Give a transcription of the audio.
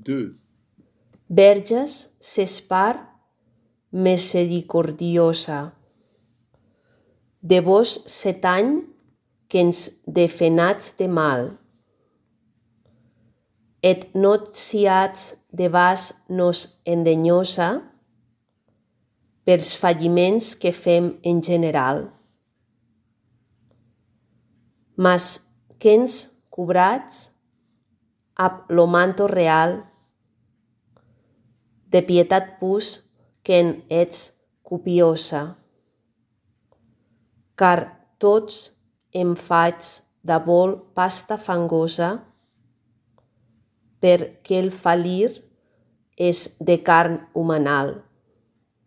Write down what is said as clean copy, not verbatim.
2. Verges s'espar misericordiosa. De vos 7 anys que ens defenats de mal. Et not siats de vas nos endenyosa pels falliments que fem en general. Mas que ens cobrats ab lo manto real de pietat pus que en ets copiosa. Car tots em faig d'abol pasta fangosa, perquè el falir és de carn humanal.